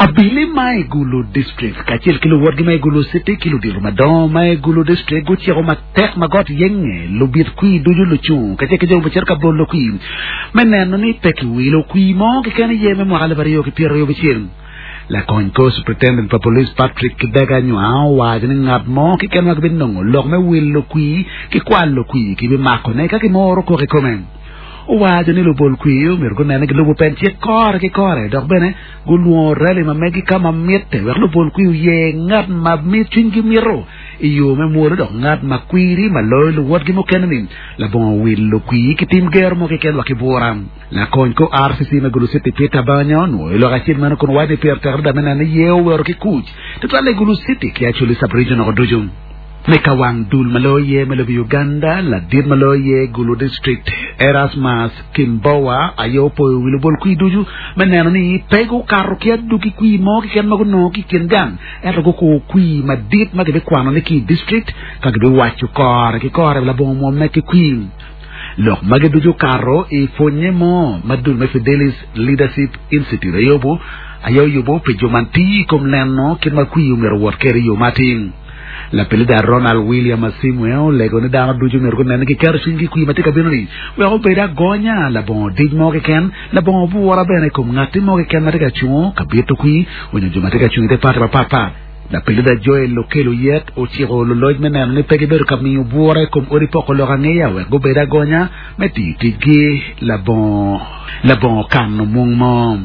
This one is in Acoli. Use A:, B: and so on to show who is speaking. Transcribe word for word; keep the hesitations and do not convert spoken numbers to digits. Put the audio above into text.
A: Abili ma i Gulu District kacel ki luwotgi ma i Gulu City ki ludito madongo ma i Gulu District guciko matek ma got yenge lubit kwir ducu lucung kacel ki jo ma ka bolo kwir me neno ni pe kiwilo kwir mo keken iye me mwaka alip aryo ki pyeraryo abicel. Lakony kor Superintendent pa Police Patrick Kidega Nywao owaco ni ngat mo keken ma gibinongo lok me wilo kwir ki kwalo kwir kibimakone ka kimoro koko i kome. Owaco ni lubol kwir myero gunene gilubo pen cik kore ki kore dok bene gulwongo rally ma megi ka ma mitte wek lubol kwir oyer ngat ma cwinygi mito i yo me mwolo dok ngat ma kwiri ma loyo luwotgi mukene-ni labongo wilo kwir ki tim gero mo keken wa ki bura. Lakony kor R C C me Gulu City Peter Banyo onwoyo lok acel meno kun owaco ni pire tek adada me neno ni ye owero ki kuc tutwalle i Gulu City ki Acholi Sub-Region oko ducu. Me ka wang dul ma loyo ye me lobo Uganda, ladit ma loyo ye Gulu District Erasmus Kimbowa aye opoyo wi lubol kwir ducu me neno ni pe gukato ki aduki kwir mo keken ma gunongo ki i kin gang ento gukur kwir madit ma gibikwanone ki i district ka gibiwaco kore ki kore labongo mwomme ki kwir. Lok magi ducu okato i pwonye mo ma dul me Fidelis Leadership Institute aye aye oyubo pi jo man tiyo i kom neno kit ma kwir myero owot kwede i yo ma atir. Lapilida Ronald William Asimwe olego ni dano ducu myero gunen ni giketo cwinygi i kwir ma tye ka bino-ni wek obed agonya labongo dic mo keken labongo bura bene i kom ngatti mo keken ma tye ka cungo ka bito kwir onyo jo ma tye ka cungo i te pati mapatpat. Lapilida Joel Okello Oyet ociko luloc me neno ni pe gibedo ka miyo bura i kom odi poko lok angeya wek gubed agonya me tiyo ticgi labongo labongo kano mung mo.